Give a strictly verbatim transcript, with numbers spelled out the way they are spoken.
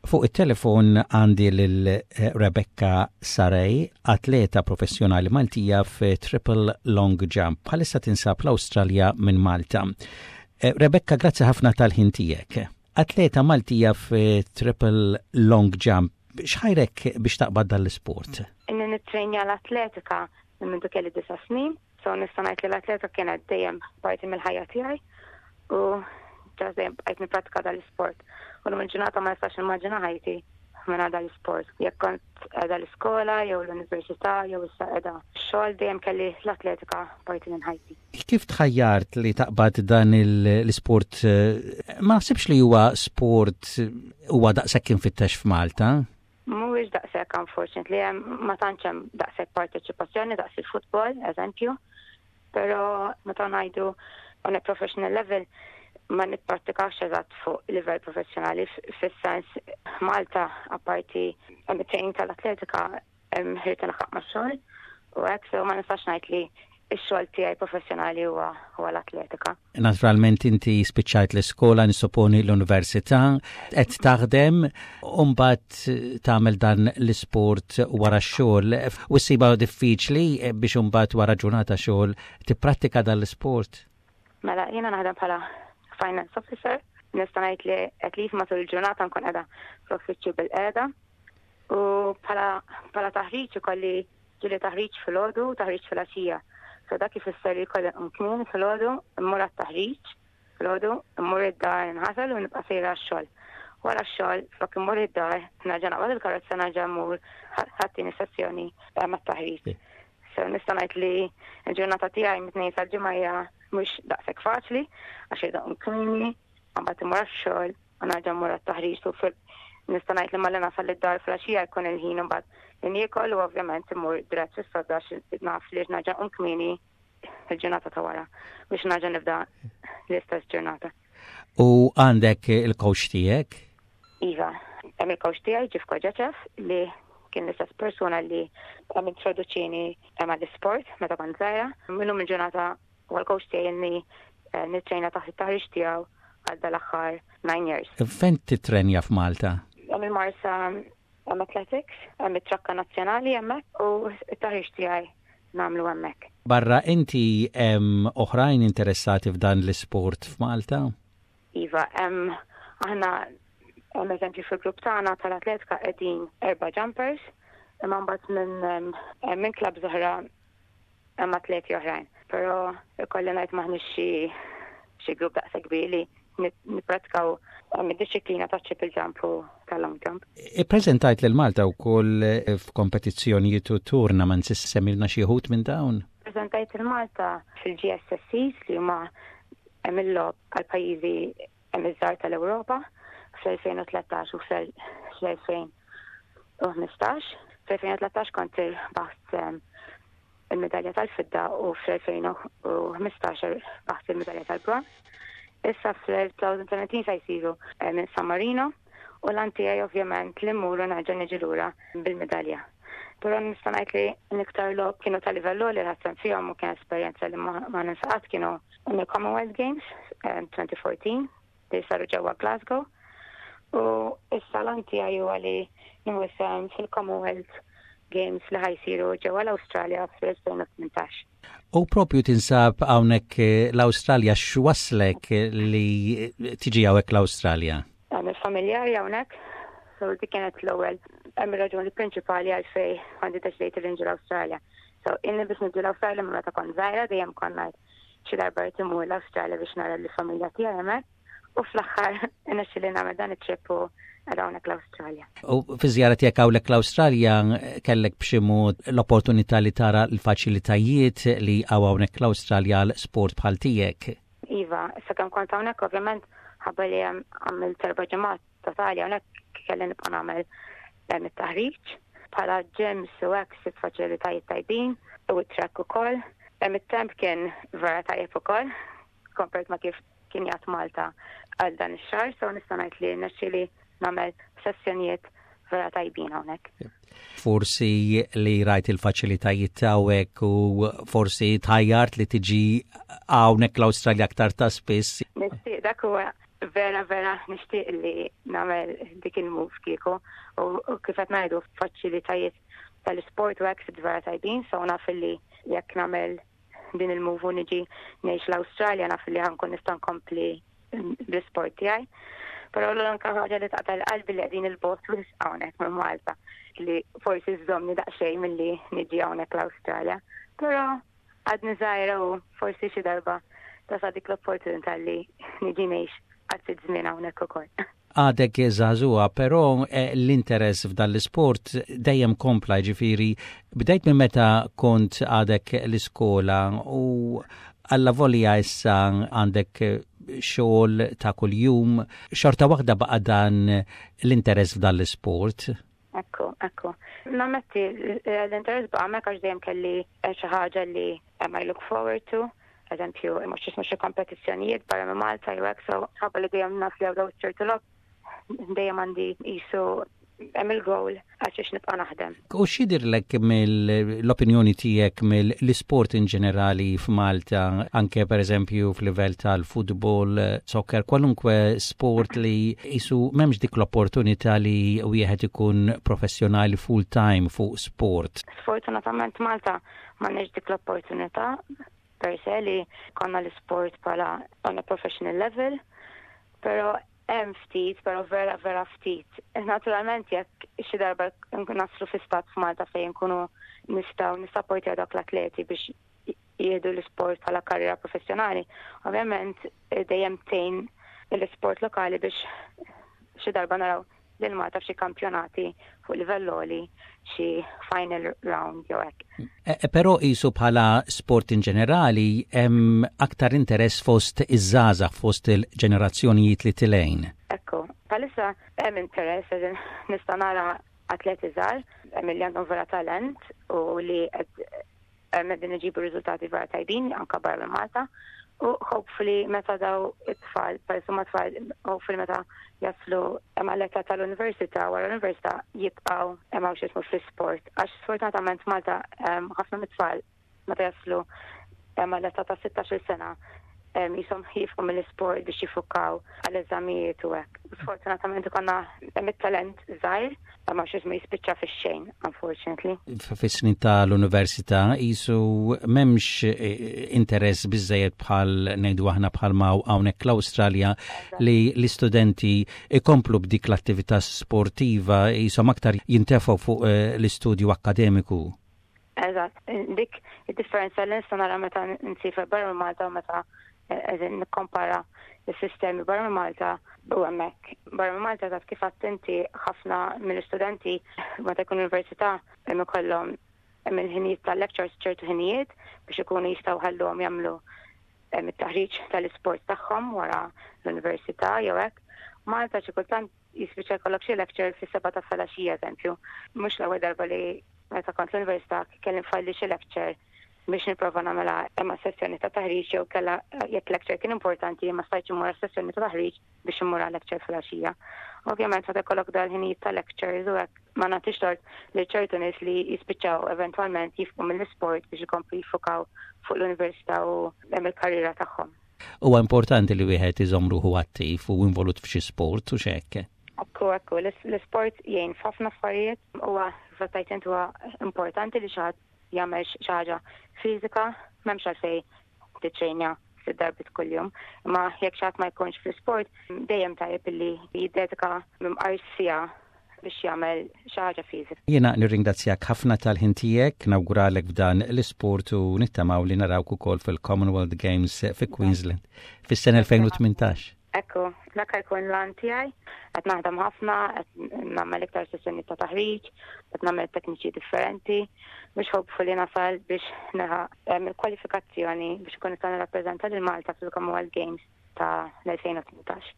Fuq it-telefon għandi lil eh, Rebecca Saray, atleta professjonali Maltija fi triple long jump. Bħalissa tinsab l-Awstralja minn Malta. Eh, Rebecca, grazzi ħafna tal-ħin tiegħek. Atleta Maltija fi triple long jump, x'ħajrek biex taqbad dal-sport? Inni nitrenja l-atletika minn mindu kelli disa snin, so nista' ngħid li l-atletika kienet dejjem parti mill-ħajja tiegħi u ġa dejjem bqajt nippratika dal-isport. U l ġurnata ma nistax nimmaġina ħajti minn dal-isport. Jekk kont qiegħda l-iskola jew l-università jew issa qiegħda xogħol, dejjem kelli l-atletika parti minn ħajti. Kif tħajjart li taqbad dan l-isport? Ma naħsibx li huwa sport huwa daqshekk infittex f'Malta. Mhuwiex daqshekk, unfortunately, hemm ma tantx hemm daqshekk parteċipazzjoni daqs il-futbol, eżempju. Però meta ngħidu on a professional level, ma nipprattikax eżatt fuq livell professjonali, fis-sens Malta apparti hemm it-training tal-atletika, hemm irrid nlaħħaq max-xogħol u hekk, so ma nistax ngħid li x-xogħol tiegħi professjonali huwa huwa l-atletika. Naturalment inti spiċċajt l-iskola, nissoponi l-università, qed taħdem u mbagħad tagħmel dan l-isport wara x-xogħol. U ssibha diffiċli biex imbagħad wara ġurnata xogħol tipprattika dan l-isport? Mela, jiena naħdem bħala finance officer, nista' ngħid li at least matul il-ġurnata nkun qiegħda fl-uffiċċju bil-qiegħda. U bħala bħala taħriġ ikolli ġieli taħriġ filgħodu u taħriġ filgħaxija. So dak ifisser li jkolli nqum kmieni filgħodu, immur għat-taħriġ filgħodu, immur id-dar, inħasel u nibqa' sejra għax-xogħol. Wara x-xogħol, flok immur id-dar, nerġa' naqbad il-karozza, nerġa' mmur għat-tieni sessjoni mat-taħriġ. So nista' ngħid li l-ġurnata tiegħi mit-Tnejn sal-Ġimgħa hija mhux daqshekk faċli għax irrid nqum kmieni, mbagħad immur għax-xogħol u nerġa' mmur għat-taħriġ u nista' ngħid li malli nasal id-dar filgħaxija jkun il-ħin imbagħad li niekol u ovvjament immur dirett fis-sodda għax naf li nerġa' nqum kmieni il-ġurnata ta' wara biex nerġa' nibda l-istess ġurnata. U għandek il-coach tiegħek? Iva, hemm il-coach tiegħi Ġifko Ġeċef, li kien l-istess persuna li hemm introduċini hemm għall-isport meta kont żgħira. Minnu mill-ġurnata u l-coach tiegħi inni eh, nittrejna taħt it-taħriġ tiegħu għal dal-aħħar nine years. Fejn titrenja f'Malta? Hemm il-Marsa, hemm Athletics, hemm it-trakka nazzjonali hemmhekk u t-taħriġ tiegħi nagħmlu hemmhekk. Barra inti hemm oħrajn interessati f'dan l-isport f'Malta? Iva, hemm aħna hemm eżempju fil-grupp tagħna tal-atletika qegħdin erba' jumpers, imma mbagħad minn minn clubs oħra hemm atleti oħrajn. Però ikolli ngħid m'aħniex xi xi grupp daqshekk kbir li nippratikaw id-dixxiplina ta' triple jump u tal-long jump. Ippreżentajt lil Malta wkoll f'kompetizzjonijiet u tournaments, semmilna xi wħud minn dawn? Preżentajt lil Malta fil-G S S Cs, li huma hemm il-logħob għal pajjiżi hemm iż-żgħar tal-Ewropa, fl-elfejn u tlettax u fl-elfejn u ħmistax. Fl-elfejn u tlettax kont irbaħt il-medalja tal-fidda u fl-elfejn u ħmistax rbaħt il-medalja tal-bronż. Issa fl-elfejn u sbatax se jsiru minn San Marino u l-għan tiegħi ovvjament li mmur u nerġa' niġi lura bil-medalja. Però nista' ngħid li l-iktar logħob kienu ta' livell li ħadt fihom u kien esperjenza li ma ninsa qatt kienu il-Commonwealth Games elfejn u erbatax li saru ġewwa Glasgow. U issa l-għan tiegħi huwa li nieħu fil-Commonwealth Games li ħa jsiru ġewwa l-Awstralja fl-elfejn u tmintax. U propju tinsab hawnhekk l-Awstralja, x'wasslek li tiġi hawnhekk l-Awstralja? Hemm il-familjari hawnhekk, so dik kienet l-ewwel hemm ir-raġuni prinċipali għalfejn kont iddeċidejt li niġi l-Awstralja. So inni biex niġi l-Awstralja minn meta kont żgħira, dejjem kont ngħid xi darba rrid imur l-Awstralja biex nara l-familja tiegħi hemmhekk. U fl-aħħar li nagħmel dan it-trip u hawnhekk l-Awstralja. U fi żjara tiegħek hawnhekk l-Awstralja kellek b'xi mod l-opportunità li tara l-faċilitajiet li hawn hawnhekk l-Awstralja għal sport bħal tiegħek? Iva, sakemm kont hawnhekk, ovvjament ħabba li għamilt erba' ġimgħat totali hawnhekk, kelli nibqa' nagħmel it-taħriġ bħala gyms u hekk, sitt faċilitajiet tajbin u t-track ukoll. Hemm it-temp kien vera tajjeb ukoll compared ma' kif kien jgħat Malta għal dan ix-xahar, so nista' ngħid li nexxieli nagħmel sessjonijiet vera tajbin hawnhekk. Forsi li rajt il-faċilitajiet hawnhekk u forsi tħajjart li tiġi hawnhekk l-Awstralja aktar ta' spiss. Nixtieq, dak huwa Vera vera nixtieq li nagħmel dik il-move kieku u kif qed ngħidu, faċilitajiet tal-isport u hekk vera tajbin, so naf li jekk nagħmel din il-move u niġi ngħix l-Awstralja, naf li ħa nkun nista' nkompli bl-isport tiegħi. Però l-unika ħaġa li taqta' l-qalbi li qegħdin 'il bogħod hawnhekk minn Malta, li forsi żżommni daqsxejn milli niġi hawnhekk l-Awstralja. Però għadni żgħira u forsi xi darba tasal dik l-opportunità li niġi ngħix għal żmien hawnhekk ukoll. Għadek żagħżugħa, però eh, l-interess f'dan l-sport dejjem kompla, ġifieri, bdejt minn meta kont għadek l-iskola u għallavolja issa għandek xogħol ta' kuljum, xorta waħda baqa' dan l-interess f'dan l-sport. Ekku, ekku. Nammetti, l-interess baqa' hemmhekk għax dejjem kelli xi ħaġa li I look forward to. Eżempju, mhux jismu xi kompetizzjonijiet barra minn Malta jew hekk, so ħabba li dejjem naf li hawn ċertu logħob, dejjem għandi jisu hemm il-goal għax nibqa' naħdem. U x'jidhirlek mill-opinjoni tiegħek mill-isport in ġenerali f'Malta, anke per eżempju f'livell tal-futbol, soccer, kwalunkwe sport li jisu m'hemmx dik l-opportunità li wieħed ikun professjonali full time fuq sport? Sfortunatament Malta m'għandniex dik l-opportunità per se li konna l-sport bħala on a professional level, pero hemm ftit, pero vera vera ftit. Naturalment, jekk xi darba naslu fi stat f'Malta fejn nkunu nistgħu nissapportjaw dak l-atleti biex jieħdu l-isport bħala karriera professjonali, ovvjament dejjem tgħin l-isport lokali biex xi darba naraw lil Malta f'xi kampjonati fuq livell għoli, xi final round jew hekk. E, e, però jisu bħala sport in ġenerali hemm aktar interess fost iż-żgħażagħ, fost il-ġenerazzjonijiet li telgħin. Ekku, bħalissa hemm interess, nista' nara atleti żgħar hemm li għandhom vera talent u li qed qegħdin iġibu riżultati vera tajbin anka barra minn Malta. U hopefully meta daw it-tfal, per ma tfal, hopefully meta jaslu għall-età tal-università, wara l-università jibqaw hemm x'jismu fl-sport. Għax sfortunatament Malta ħafna mit-tfal meta jaslu għall-età ta' sittax-il sena jisom jieqfu mill-sport biex jiffukaw għall-eżamijiet u hekk. Sfortunatament ikollna hemm it-talent żgħir, ma x'jismu jispiċċa fix-xejn, unfortunately. Fis-snin tal-università jisu m'hemmx eh, interess biżejjed, bħal ngħidu aħna bħal ma hawnhekk l-Awstralja, li l-istudenti ikomplu b'dik l-attività sportiva, jisom aktar jintefgħu fuq eh, l-istudju akkademiku. Eżatt, dik id-differenza li nista' nara meta nsiefer barra Malta u meta eżin nikkompara il-sistemi barra minn Malta u hemmhekk. Barra minn Malta, taf kif attenti, ħafna mill-istudenti meta jkun università hemm ikollhom hemm il-ħinijiet tal-lectures, ċertu ħinijiet biex ikunu jistgħu ħalluhom jagħmlu it-taħriġ tal-isport tagħhom wara l-università jew hekk. Malta xi kultant jispiċċa jkollok xi lecture fis-sebgħa ta' filgħaxija, eżempju. Mhux l-ewwel darba li meta kont l-università kelli nfalli xi lecture biex nipprova nagħmilha imma sessjoni ta' taħriġ, jew kella jekk lecture kien importanti ma stajtx immur sessjoni ta' taħriġ biex immur għal lecture filgħaxija. Ovvjament meta jkollok dal-ħinijiet ta' lectures u hekk, ma nagħtix tort li ċertu nies li jispiċċaw eventwalment jieqfu mill-isport biex ikomplu jiffukaw fuq l-università u hemm il-karriera tagħhom. Huwa importanti li wieħed iżomm ruħu attiv u involut f'xi sport u x'hekk. Ekku, ekku, l-isport jgħin f'ħafna affarijiet, huwa fattajt huwa importanti li xi ħadd jagħmel xi ħaġa fiżika, m'hemmx għalfejn tiċċejnja sitt darbiet kuljum. Imma jekk xi ħadd ma jkunx fl-isport, dejjem tajjeb illi jiddedika mqar siegħa biex jagħmel xi ħaġa fiżika. Jiena nirringrazzjak ħafna tal-ħin tiegħek, nawguralek f'dan l-isport u nittamaw li narawk ukoll fil-Commonwealth Games fi Queensland fis-sena elfejn u tmintax. Ekku, dak jkun l-għan tiegħi, qed naħdem ħafna, qed nagħmel iktar sessjoni ta' taħriġ, qed nagħmel tekniċi differenti biex hopefully nasal biex nilħaq il-kwalifikazzjoni biex ikun nista' nirrappreżenta lil Malta fil-Commonwealth Games ta' l-elfejn u tmintax.